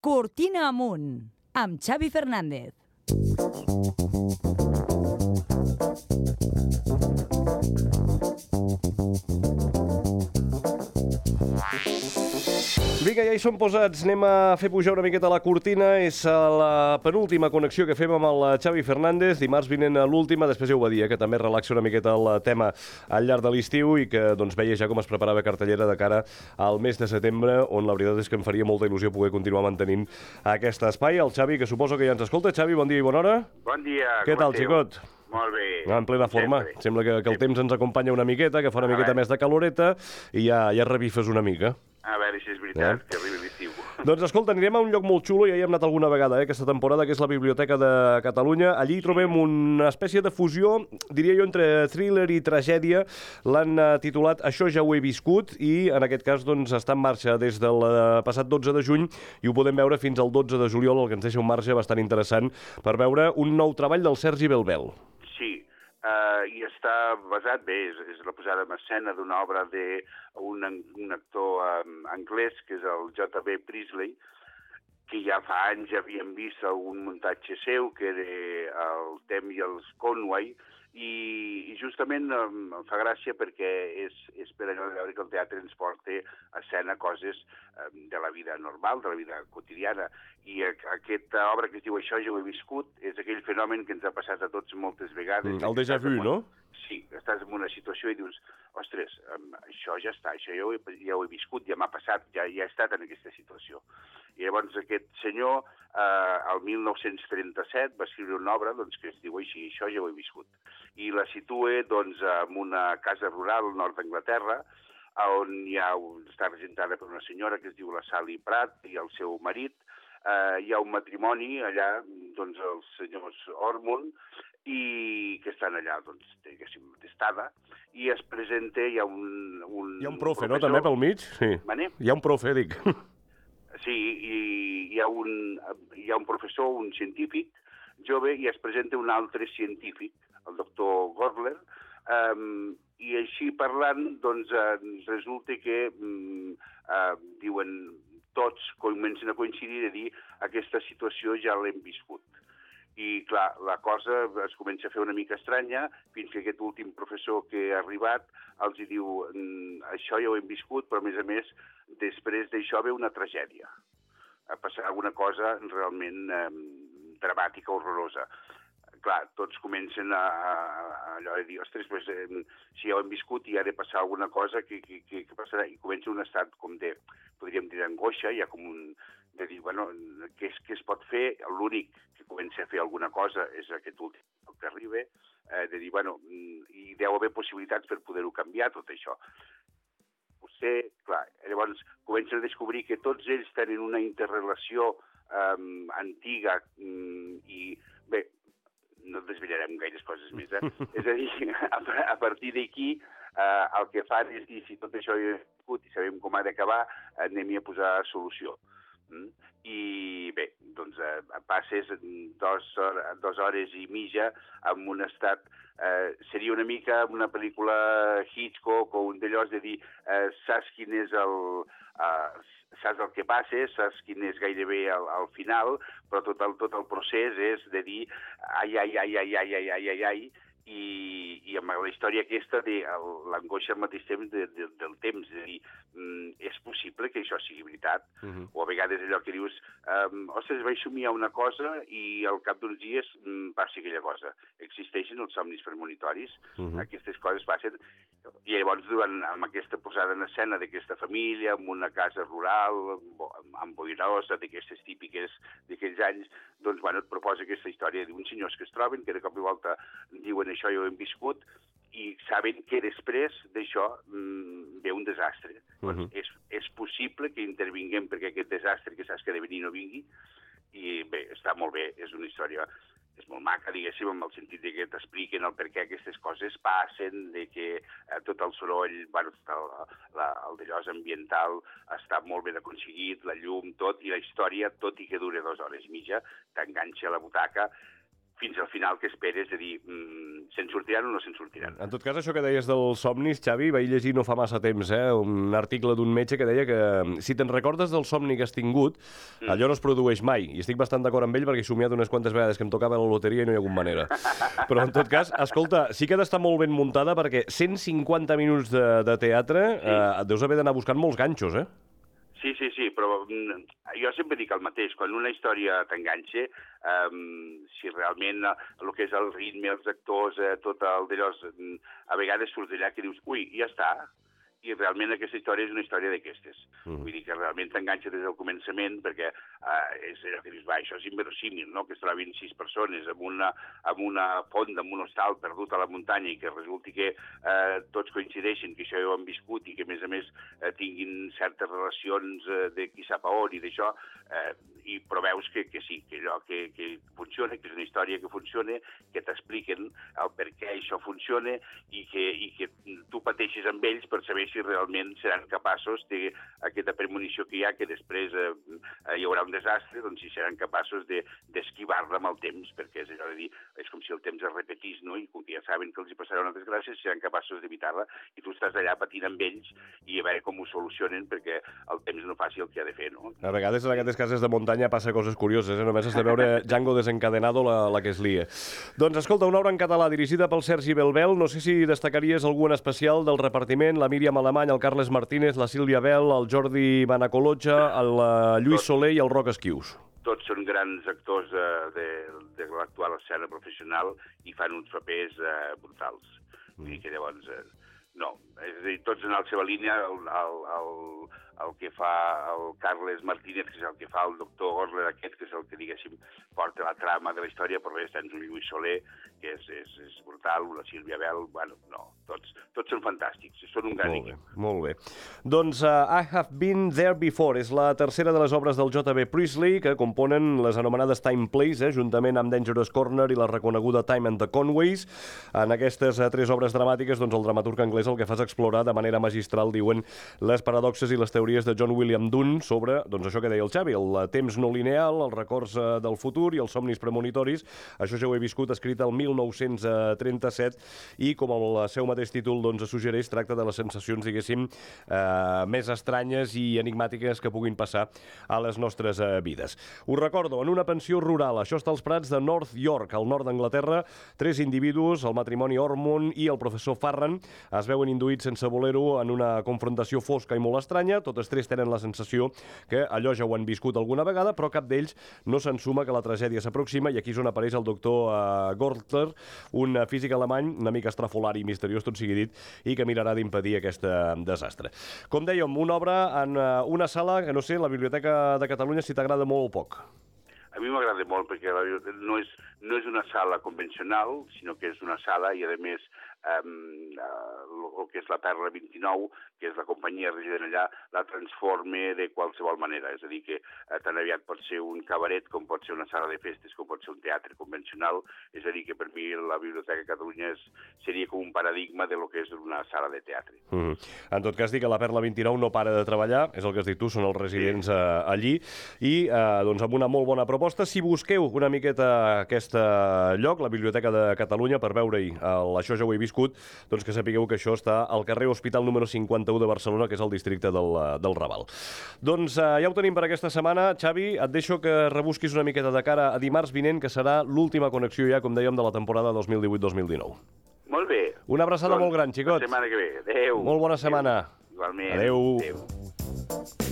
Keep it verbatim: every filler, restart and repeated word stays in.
Cortina amunt, amb Xavi Fernández. Vinga, ja hi som posats. Anem a fer pujar una miqueta la cortina. És la penúltima connexió que fem amb el Xavi Fernández. Dimarts vinent a l'última. Després ja ho va dir, eh, que també relaxa una miqueta el tema al llarg de l'estiu i que doncs, veia ja com es preparava cartellera de cara al mes de setembre, on la veritat és que em faria molta il·lusió poder continuar mantenint aquest espai. El Xavi, que suposo que ja ens escolta. Xavi, bon dia i bona hora. Bon dia. Què tal, xicot? Molt bé. En plena forma. Sempre. Sembla que, que el temps ens acompanya una miqueta, que fa una miqueta més de caloreta i ja, ja revifes una mica. A veure si és veritat, eh? que arribi l'estiu. Doncs escolta, anirem a un lloc molt xulo, ja hi hem anat alguna vegada, eh, aquesta temporada, que és la Biblioteca de Catalunya. Allí hi trobem una espècie de fusió, diria jo, entre thriller i tragèdia. L'han titulat Això ja ho he viscut i, en aquest cas, doncs, està en marxa des del passat dotze de juny i ho podem veure fins al dotze de juliol, el que ens deixa un marge bastant interessant per veure un nou treball del Sergi Belbel. Sí. Uh, i està basat, bé, és, és la posada en escena d'una obra d'un un actor um, anglès, que és el J B Priestley, que ja fa anys havíem vist algun muntatge seu, que era el Tem i els Conway, i, i justament um, em fa gràcia perquè és, és per allò de veure que el teatre ens porta a escena coses um, de la vida normal, de la vida quotidiana, i a, aquesta obra que es diu Això ja ho he viscut és aquell fenomen que ens ha passat a tots moltes vegades. Mm, el déjà vu, no? Sí, estàs en una situació i dius, ostres, um, això ja està, això ja ho he, ja ho he viscut, ja m'ha passat, ja, ja he estat en aquesta situació. I llavors aquest senyor, eh, el mil nou-cents trenta-set, va escriure una obra doncs, que es diu així, Això ja ho he viscut. I la situa doncs, en una casa rural al nord d'Anglaterra, on hi ha, està representada per una senyora que es diu la Sally Pratt i el seu marit. Eh, hi ha un matrimoni allà, doncs els senyors Ormond, i que estan allà, doncs, diguéssim, d'estada, i es presenta, hi ha un... un hi ha un profe, professor, no?, també pel mig? Sí. Mane? Hi ha un profe, dic. Sí, i hi ha, un, hi ha un professor, un científic jove, i es presenta un altre científic, el doctor Gorler, um, i així parlant, doncs, uh, resulta que, um, uh, diuen, tots comencen a coincidir a dir aquesta situació ja l'hem viscut. I, clar, la cosa es comença a fer una mica estranya, fins que aquest últim professor que ha arribat els hi diu això ja ho hem viscut, però, a més a més, després d'això ve una tragèdia. Passarà alguna cosa realment eh, dramàtica, horrorosa. Clar, tots comencen a, a, a allò de dir, ostres, pues, eh, si ja ho hem viscut i ha de passar alguna cosa, que, que, que, que passarà? I comença un estat com de, podríem dir, d'angoixa, ja com un, de dir, bueno, què, és, què es pot fer? L'únic que comença a fer alguna cosa és aquest últim que arriba, eh, de dir, bueno, hi deu haver possibilitats per poder-ho canviar, tot això. Potser, clar, llavors comencen a descobrir que tots ells tenen una interrelació um, antiga um, i, bé, no desvetllarem gaires coses més, eh? És a dir, a, a partir d'aquí eh, el que fan és dir, si tot això ho he viscut i sabem com ha d'acabar, anem-hi a posar solució. Mm? I bé, doncs eh, passes dos, dues hores i mitja en un estat, eh, seria una mica una pel·lícula Hitchcock o un d'allòs de dir, eh, saps quin és el... Eh, saps el que passa, saps quin és gairebé el, el final, però tot el, tot el procés és de dir ai, ai, ai, ai, ai, ai, ai, ai, ai, i, i amb la història aquesta de l'angoixa al mateix temps de, de, del temps, de dir, mm, és possible que això sigui veritat? Uh-huh. O a vegades allò que dius, um, ostres, vaig somiar una cosa i al cap d'uns dies mm, passi aquella cosa. Existeixen els somnis premonitoris, uh-huh. Aquestes coses passen, i llavors durant, amb aquesta posada en escena d'aquesta família, en una casa rural, amb boirosa, d'aquestes típiques d'aquells anys, doncs, bueno, et proposa aquesta història d'uns senyors que es troben, que de cop i volta diuen això ja ho hem viscut, i saben que després d'això mmm, ve un desastre. Uh-huh. Doncs és, és possible que intervinguem perquè aquest desastre que saps que ha de venir no vingui, i bé, està molt bé, és una història... és molt maca, diguéssim, en el sentit de que t'expliquen el per què aquestes coses passen, de que eh, tot el soroll, bueno, el, la, el d'allò ambiental està molt ben aconseguit, la llum, tot, i la història, tot i que dura dues hores i mitja, t'enganxa a la butaca, fins al final que esperes, de dir, mm, se'n sortiran o no se'n sortiran. En tot cas, això que deies dels somnis, Xavi, vaig llegir no fa massa temps, eh, un article d'un metge que deia que si te'n recordes del somni que has tingut, mm. allò no es produeix mai. I estic bastant d'acord amb ell perquè he somiat unes quantes vegades que em tocava la loteria i no hi ha hagut manera. Però, en tot cas, escolta, sí que ha d'estar molt ben muntada perquè cent cinquanta minuts de, de teatre sí. eh, deus haver d'anar buscant molts ganxos, eh? Sí, sí, sí, però jo sempre dic el mateix. Quan una història t'enganxa, um, si realment el que és el ritme, els actors, eh, tot el d'allò, a vegades surts d'allà que dius, ui, ja està, i realment aquesta història és una història d'aquestes. Mm. Vull dir que realment t'enganxa des del començament perquè eh, és allò que dius, va, això és inverosímil, no?, que es trobin sis persones amb una, amb una font, amb un hostal perdut a la muntanya i que resulti que eh, tots coincideixen, que això ja ho han viscut i que, a més a més, eh, tinguin certes relacions eh, de qui sap a on i d'això, eh, i però veus que, que sí, que allò que, que funciona, que és una història que funciona, que t'expliquen el per què això funciona i que, i que tu pateixes amb ells per saber si realment seran capaços d'aquesta premonició que hi ha, que després eh, hi haurà un desastre, doncs si seran capaços d'esquivar-la amb el temps, perquè és allò de dir, és com si el temps es repetís, no?, i com que ja saben que els hi passarà una desgràcia, seran capaços d'evitar-la, i tu estàs allà patint amb ells i a veure com ho solucionen, perquè el temps no faci el que ha de fer, no? A vegades en aquestes cases de muntanya passa coses curioses, eh? Només has de veure Django desencadenado la, la que es lia. Doncs escolta, una obra en català dirigida pel Sergi Belbel, no sé si destacaries algun especial del repartiment, la Míriam Alemany, el Carles Martínez, la Sílvia Bel, el Jordi Banacolotja, el Lluís Soler i el Roc Esquius. Tots són grans actors de, de, de l'actual escena professional i fan uns papers eh, brutals. Mm. Vull dir que llavors, eh, no, és a dir, tots en la seva línia, el, el, el, el que fa el Carles Martínez, que és el que fa el doctor Gosler aquest, que és el que, diguéssim, porta la trama de la història, però res, tens un Lluís Soler, que és, és, és brutal, una Sílvia Bel, bueno, no, tots, tots són fantàstics, són un gran equip. Molt bé. Doncs uh, I Have Been There Before és la tercera de les obres del J B Priestley, que componen les anomenades Time Plays, eh, juntament amb Dangerous Corner i la reconeguda Time and the Conways. En aquestes uh, tres obres dramàtiques, doncs el dramaturg anglès el que fa és explorar de manera magistral, diuen, les paradoxes i les teories de John William Dunn sobre, doncs això que deia el Xavi, el temps no lineal, els records uh, del futur i els somnis premonitoris. Això ja ho he viscut, escrit el mil nou-cents trenta-set, i com el seu mateix títol doncs, suggereix, tracta de les sensacions, diguéssim, eh, més estranyes i enigmàtiques que puguin passar a les nostres eh, vides. Us recordo, en una pensió rural, això està als prats de North York, al nord d'Anglaterra, tres individus, el matrimoni Ormond i el professor Farran, es veuen induïts sense voler-ho en una confrontació fosca i molt estranya. Totes tres tenen la sensació que allò ja ho han viscut alguna vegada, però cap d'ells no s'ensuma que la tragèdia s'aproxima, i aquí és on apareix el doctor uh, Gortler, un físic alemany una mica estrafolari i misteriós, tot sigui dit, i que mirarà d'impedir aquest desastre. Com dèiem, una obra en uh, una sala que, no sé, la Biblioteca de Catalunya, si t'agrada molt o poc. A mi m'agrada molt perquè la biblioteca no és, no és una sala convencional, sinó que és una sala i, a més, um, uh, el que és la Perla vint-i-nou, que és la companyia resident allà, la transforma de qualsevol manera. És a dir, que uh, tan aviat pot ser un cabaret, com pot ser una sala de festes, com pot ser un teatre convencional. És a dir, que per mi la Biblioteca de Catalunya és, seria com un paradigma de lo que és una sala de teatre. Mm-hmm. En tot cas, dic que la Perla vint-i-nou no para de treballar, és el que has dit tu, són els residents sí. uh, allí, i uh, doncs amb una molt bona proposta. Si busqueu una miqueta aquest lloc, la Biblioteca de Catalunya, per veure-hi Això ja ho he viscut, doncs que sapigueu que això està al carrer Hospital número cinquanta-u de Barcelona, que és el districte del, del Raval. Doncs uh, ja ho tenim per aquesta setmana. Xavi, et deixo que rebusquis una miqueta de cara a dimarts vinent, que serà l'última connexió ja, com dèiem, de la temporada dos mil divuit dos mil dinou. Molt bé. Una abraçada doncs, molt gran, xicot. La setmana que ve. Adéu. Molt bona setmana. Adéu. Igualment. Adéu. Adéu.